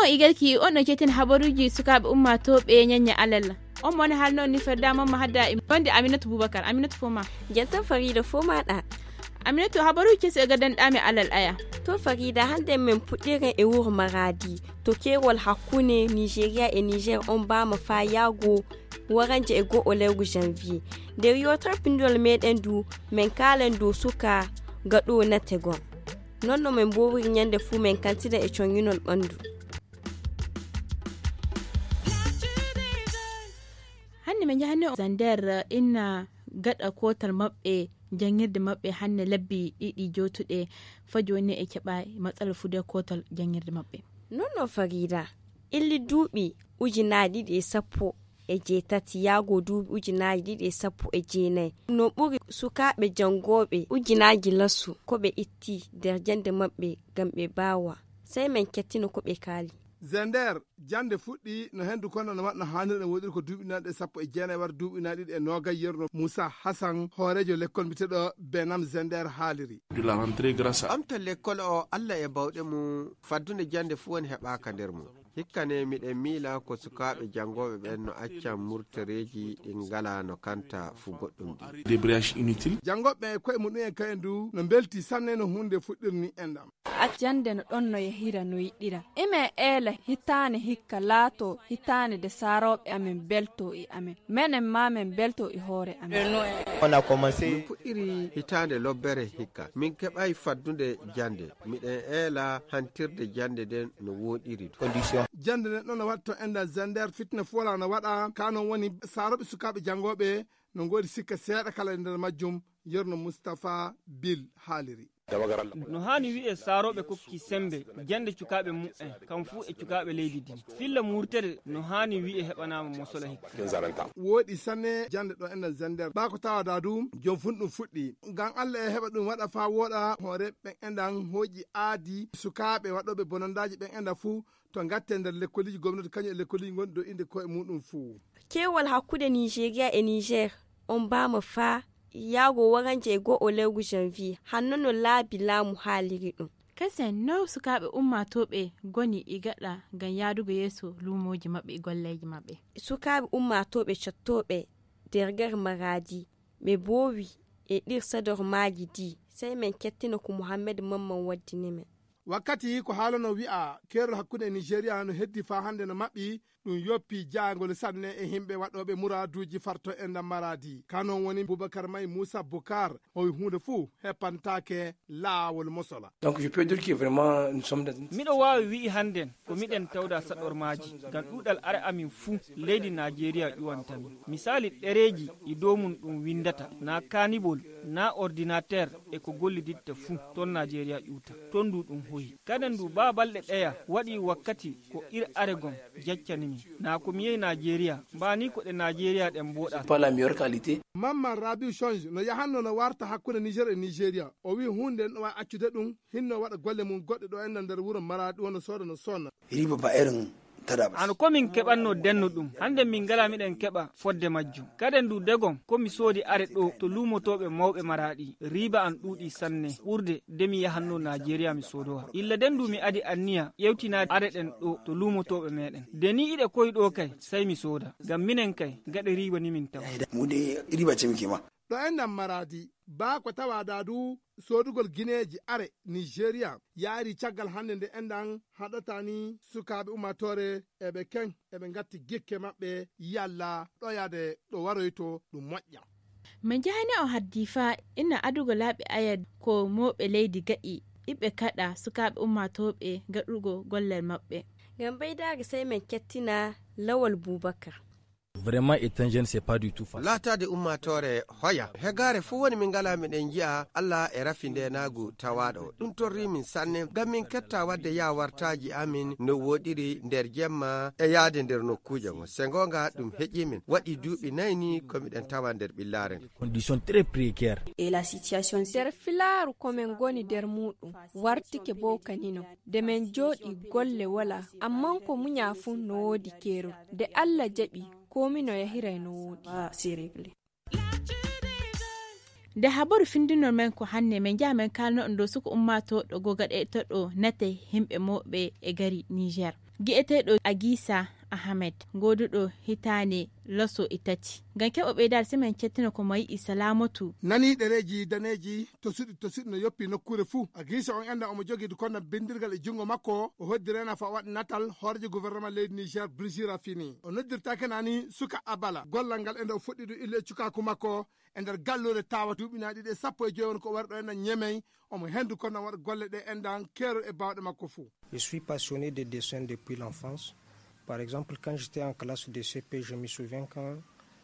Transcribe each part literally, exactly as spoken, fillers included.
On igalki on no cetin habaruji sukaaɓe ummaatooɓe ñañña alal. On mo woni haalno ni ferdama ma hadda e wonde Aminata Boubacar. Aminata foma. Jantan Farida foma ɗa. Aminata habaruji kesi e gaddanɗami alal aya. To Farida, hande men puɗɗiren e wuro Maradi. To keewol hakkunde Nigeria e Niger on bama fa yaago waranje e go'o lewru janvier. Nder yewtere pinndol meɗen du, men kaalen dow suka gaɗo nategol. Non no men mbowiri ñande fuu men kantina e coñinol ɓanndu. Hannde min njahani on Zander, inna gaɗa kootal maɓɓe, janngirde maɓɓe hannde lebbi ɗiɗi jootuɗe, faa jooni e keɓa matsala fude kootal janngirde maɓɓe. Non no Farida, illi duuɓi ujunaaji ɗiɗi e sappo e jeetati yaago duuɓi ujunaaji ɗiɗi e sappo e jeenayi. No ɓuri sukaaɓe janngooɓe ujunaaji lasu ko ɓe itti nder jannde maɓɓe ngam ɓe mbaawa. Sey men kettino ko ɓe kaali. Zender, jannde fuɗɗi no henndu kono no waɗno haanirɗe woɗiri ko duuɓi naanɗe sappo e jeenayi wara duuɓi naanɗe ɗiɗi e noogay yerno Moussa Hassan, hooreejo lekkol mbiyeteeɗo Benam Zender haaliri. De la rentrée grâce à ɓamta lekkol o Allah e bawɗe mum, faddunde jannde fuu woni heɓaaka nder mum. Hikka ne miɗen miila ko sukaaɓe janngooɓe ɓen no acca murtareeji ɗi ngalaa no kanta fu goɗɗum ɗi. Débrayage inutile. Janngooɓe ɓen e koye muɗum en kayen du no mbelti sanne no huunde fuɗɗirni enɗam. Jannde no ɗon no yahira no yiɗira. Imen eela hitaande hikka laato hitaande de saarooɓe amen belto e amen. Menen ma men belto e hoore amen. On a commencé. Min puɗɗiri hitaande lobbere hikka. Min keɓay faddunde jannde. Miɗen eela hantirde jannde nden no wooɗiri du. Condition. Jannde nden ɗon no waɗto enda Zander, fitina fu walaa no waɗa. Ka non woni saarooɓe sukaaɓe janngooɓe no ngoodi sikke seeɗa kala e nder majjum, yerno Mustapha Bil haaliri. No haani wi'e saarooɓe kokki semmbe jannde cukaaɓe mu'en, kam fuu e cukaaɓe leydi ndin. Filla murtere no haani wi'e heɓanaama mosola hikka. Wooɗi sanne jannde ɗo enen Zander. Ɓaa ko tawaa daa du, jom fun ɗum fuɗɗi. Ngam Allah e heɓa ɗum waɗa faa wooɗa, hooreeɓe ɓen enɗan hooƴi aadi sukaaɓe waɗooɓe bonandaaji ɓen enɗan fuu to ngatte nder lekkoliji gomnati kañum e lekkoliji gonɗi dow innde koye muɗum fuu. Keewol hakkunde Nigeria e Niger on mbaama faa yaago waranje e go'o lewru janvier, hanno no laabi laamu haaliri ɗum. Kasen no sukaaɓe ummaatooɓe ngoni e gaɗa ngam yaadugo yeeso luumooji maɓɓe e golleeji maɓɓe. Sukaaɓe ummaatooɓe cottooɓe nder ger Maraadi, ɓe mboowi e ɗir sadormaaji ɗi, sey men kettina ko Muhammed Mamman waddini men. Wakkati ko haalano wi'a keerol hakkunde e Nigeria no heddi faa hannde no maɓɓi, ɗum yoppi jaangol sanne e himɓe waɗooɓe muraaduuji farto e ndam Maraadi. Ka non woni Boubacar May Moussa Bokar, o wi huunde fuu heppantaake laawol mosola. Donc, je peux dire que vraiment, nous sommes dans une miɗo waawi wi'i hannden ko miɗen tawda saɗormaaji, ngam ɗuuɗal are amin fuu leydi Najeriya ƴuwanta min. Misaali ɗereeji e dow mum ɗum winndata, naa kaanibol, naa ordinateer e ko golliditta fuu, ton Najeriya ƴuwta. Ton du ɗum hoyi. Kaden du baa balɗe ɗeya waɗi wakkati ko ir are gom jaccani min. Naa ko mi yehi Najeriya, mbaa ni ko ɗe Najeriya ɗen mbooɗa. Pas la meilleure qualité. Mamman Rabiu Change no yahanno no warta hakkunde Niger e Nigeria. O wi huunde no waawi accude ɗum, hinno waɗa golle mum goɗɗe ɗo enɗan nder wuro Maraadi, wona sooda no sonna. Riba ba irin tada ba. Hano ko min keɓanno denno ɗum, hannde min ngala miɗen keɓa fodde majjum. Kaden du degom ko mi soodi are ɗo to luumotooɓe mawɓe Maraadi, riba an ɗuuɗi sanne ɓurde de mi yahanno Najeriya mi soodowa. Illa den du mi adi anniya ƴewtinaade are ɗen ɗo to luumotooɓe meɗen. De ni iɗe koy ɗo kay, sey mi sooda. Ngam minen kay, gaɗe riba ni min tawa. Mu de riba ce muke ma. Ɗo enɗan Maraadi, baa ko tawaa daa du soodugol gineeji are Nigeria yaari caggal hannde nde enɗan haɗata ni sukaaɓe ummaatoore eɓe ken eɓe ngatti gikke maɓɓe yalla ɗoyade ɗo waroyto ɗum moƴƴa. Min njahani on haddi faa ina adugo laaɓi ayad ko mooɓe leydi gaɗi iɓe kaɗa sukaaɓe ummaatooɓe gaɗugo gollal maɓɓe. Ngam ɓeydaare sey min kettina Lawal Bubakar. Vraiment, étant jeune, c'est pas du tout facile. Laataade ummaatoore hoya. Hegaare fuu woni min ngalaa miɗen nji'a Allah e rafi ndeenaagu tawaaɗo. Ɗum torrii min sanne, ngam min ketta waɗde yaawartaaji amin no wooɗiri nder jemma e yahde nder nokkuuje mon. Se ngoonga ɗum heƴii min. Waɗi duuɓi nayi ni ko miɗen tawa nder ɓillaare nde. Condition très précaire. Et la situation. Nder filaaru ko men ngoni nder muuɗum, wartike bo kanino. De men jooɗi golle wala, amman ko munya fuu no woodi keerol. De Allah jaɓi, komi no yahiray no woodi. Nde habaru findinol men ko hannde, men njaha men kaalno on dow suka ummaatooɗo goo gaɗeteeɗo nate himɓe mooɓe e gari Niger. Gi'eteeɗo Agisa Ahmed, gooduɗo hitaande laso e tati. Ngam keɓo ɓeydaade, semaine cettino ko mayi e Salamatu. Nani ɗereeji daneeji tosuɗi tosuɗi no yoppi nokkuure fuu. Agisa on enda omo jogii kono bindirgal e junngo makko. O hoddi rena fa waɗi natal hooreejo gouvernement leydi Niger, Brigitte Raffini. O noddirtaake nani suka Abala. Gollal ngal enda o fuɗɗi ɗum illu e cukaaku makko e nder galluure tawa duuɓi na ɗiɗi e sappo e joyi won ko wari ɗo enda Ñemey. Omo hendu kono waɗa golle ɗe endan keerol e baawɗe makko fuu. Je suis passionné de dessin depuis l'enfance. Par exemple, quand j'étais en classe de C P, je me souviens quand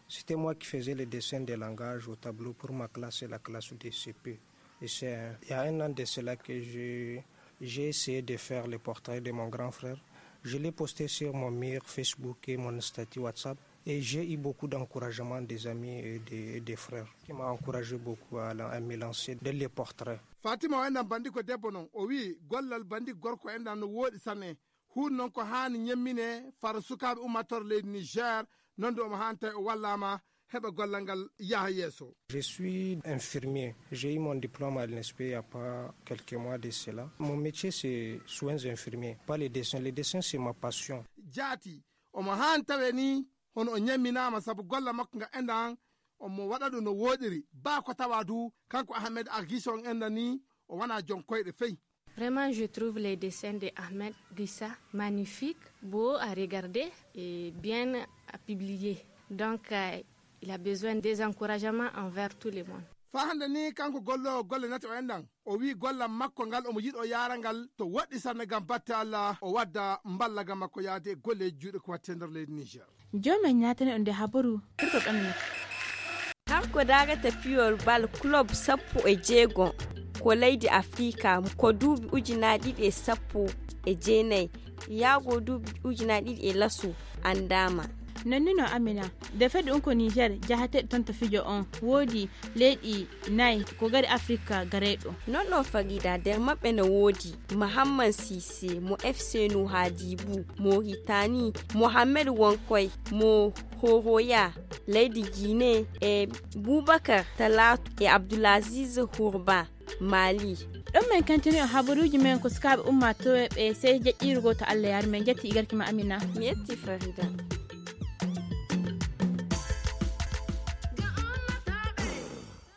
c'était moi qui faisais les dessins des langages au tableau pour ma classe et la classe de C P. Et c'est, il y a un an de cela que j'ai, j'ai essayé de faire les portraits de mon grand frère. Je l'ai posté sur mon mur Facebook et mon statut WhatsApp. Et j'ai eu beaucoup d'encouragement des amis et des, et des frères qui m'ont encouragé beaucoup à, la- à me lancer dans les portraits. Fatima o enɗan bandi ko debbo non, o wi'i gollal bandi gorko enɗan no wooɗi sanne. Huun non ko haani ñemmine fara sukaaɓe ummatore leydi Niger, non du omo haani tawi o wallaama heɓa gollal ngal yaha yeeso. Je suis infirmier. J'ai eu mon diplôme à l'I N S P il y a pas quelques mois de cela. Mon métier, c'est soins infirmiers, pas les dessins. Les dessins, c'est ma passion. Jaati, omo haani tawe ni hono o ñamminaama sabu golla makko nga enɗan omo waɗa ɗum no wooɗiri. Baa ko tawa du, kanko Ahmed Agisa on enɗan ni, o wona jon koyɗe fey. Vraiment, je trouve les dessins de Ahmed Gisa magnifiques, beaux à regarder et bien à publier. Donc, euh, il a besoin des encouragements envers tout le monde. Faa hannde ni, kanko golloowo golle nate o enɗan, o wi'i gollal makko ngal omo yiɗo yaara ngal to woɗɗi sanne ngam batte Allah, o wadda mballaga makko yaade e golleeji juuɗe ko watte nder leydi Niger. Joomen ñaatani on nde habaru, turko ɓamina. Kanko darata piyol bal club sappo e jeego ko leydi Afrika, ko duuɓi ujunaaji ɗiɗi e sappo e jeenayi yaago duuɓi ujunaaji ɗiɗi e laso anndaama. Nonnino Amina, defeede un ko Niger jahateeɗo toon to fijo on, woodi leyɗi nayi ko gari Afrika gareyɗo. Non non Farida, nder maɓɓe no woodi Mahamman Sise mo F C Nouhadibu Mauritanie, Mohamed Wonkoy mo Horoya leydi Guinée, e Boubacar Talatu e Abdoulaziz Hourba Mali. Ɗon men kantini on habaruuji men ko sukaaɓe ummaatooɓe ɓe sey jaƴƴiiru gooto Allah yaari men. Jetti igarki ma Amina. Mi yetti Farida.